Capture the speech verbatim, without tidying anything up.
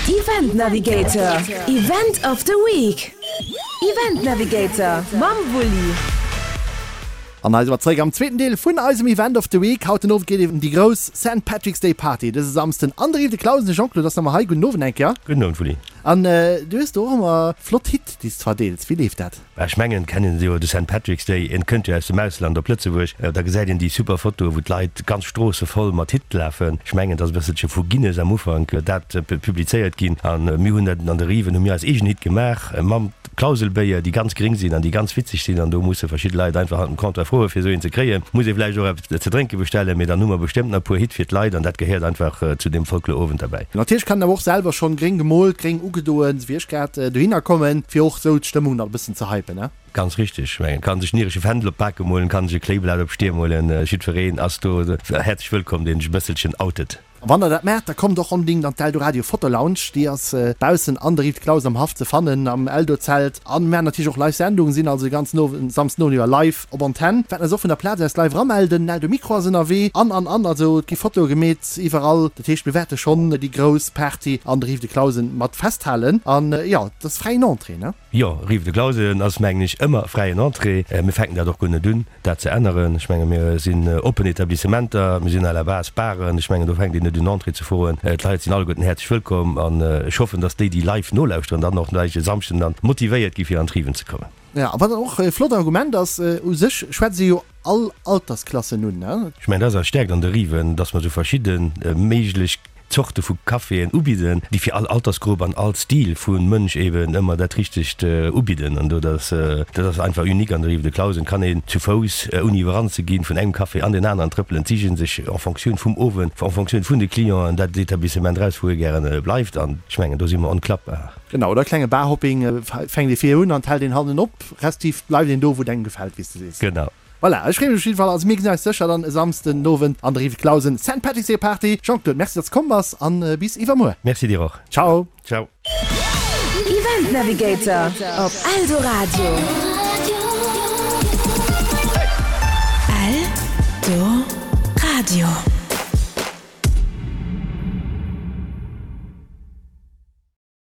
Event Navigator, Event of the Week. Event Navigator mam Wulli. An hei si mer zeréck am zweeten Deel vun eisem Event of the Week. Haut den Owend geet et ëm déi grouss Saint Patrick's Day Party dëse Samsden an der Rive de Clausen. De Jean-Claude ass nach ëmmer hei. Gudden Owend eng Kéier. Gudden Owend, Wulli. An du hues do och ëmmer flott Hitt, déi s de verdeels. Wéi leeft dat? Ech mengen, et kennen se jo, de Saint Patrick's Day, en kënnt jo aus dem Ausland op Lëtzebuerg. Da gesäit een déi super Fotoe wou d'Leit ganz Stroosse voll mat Hitt lafen. Ech mengen, et ass e bësselche vu Guinness am Ufank dat publizéiert ginn. A mir hunn dat an de Riven, hu mir eis eegen Hitt gemaach mam Klauselbéier, déi ganz gréng sinn an déi ganz witzeg sinn. An do musse verschidde Leit einfach hannert dem Comptoir froe fir esou een ze kréien. Muss ee vläicht och eppes ze drénke bestellen, mee dann hu mer bestëmmt nach e puer Hitt fir d'Leit an dat gehéiert einfach zu deem Folklorowend derbäi. Natierlech kann een awer och selwer schonn gréng gemoolt, gréng ugedoen, wéi ech grad, dohinner kommen, fir och sou d'Stëmmung nach e bëssen ze hypen, ne? Ganz richteg. Ech mengen, kann sech en iresche Fändel op d'Bake molen, kann sech e Kléiblat op d'Stier molen, jiddwereen ass do häerzlech wëllkomm, deen sech e bësselchen outet. A wann der dat maacht, da kommt och onbedingt an d'Eldoradio Foto Lounge, déi ass baussen an der Rive de Clausen am Haff ze fannen, am Eldo-Zelt. An mir maachen natierlech och live Sendungen, sinn also de ganzen Owend, Samsden Owend iwwer live op Antenn. Wäerten eis och vun der Plaz aus live eramelden, den Eldo Mikro ass ënnerwee an, an, an. Also et gi Fotoe gemeet iwwerall. Dat heescht, mir wäerte schonn déi grouss Party an der Rive de Clausen mat festhalen. An jo, et ass fräien Entrée, ne? Jo, Rive de Clausen ass, mengen ech, ëmmer fräien Entrée. Mir fänken dat och guer net un, dat ze änneren. Ech menge mir sinn oppen Etablissementer, mir sinn à la base Baren. Ech mengen, do fänkt een net un Entrée ze froen. D'Leit sinn alleguerten häerzlech wëllkomm an ech hoffen, dass déi, déi live nolauschteren, dann och gläich e Samschden dann motivéiert gi fir an d'Riven ze kommen. Jo, a wat dann och e flott Argument ass, u sech schwätzt ee jo all Altersklassen un, ne? Ech mengen, dat ass eis Stäerkt an de Riven, dass mer esou verschidde méiglech Zorte vu Caféen ubidden, déi fir all Altersgrupp an all Stil vu Mënsch eben ëmmer dat Richtegt ubidden. An do dat dat ass einfach unique an der Rive de Clausen kann een zu Fouss, ouni iwwerrannt ze ginn, vun engem Café an deen aneren trëppelen. D'Sichen sech en Fonctioun vum Owend, en Fonctioun vun de Clienten dat Etablissement eraus, wou ee gären bleift. An ech mengen, do si mer onklappbar. Genau, oder klenge Barhopping, fänkt ee vir un an hält een hannen op, respektiv bleift een do, wou et engem gefält, wéi s de sees. Genau. Voilà, ech freeë mech op jidde Fall. Also mir gesinn eis sécher dann e Samsden den Owend an der Rive Clausen, Saint Patrick's Day Party. Jean-Claude, Merci, datt s komm bass an bis iwwermuer. Merci dir och. Ciao. Ciao. Event Navigator op Eldoradio. Eldoradio.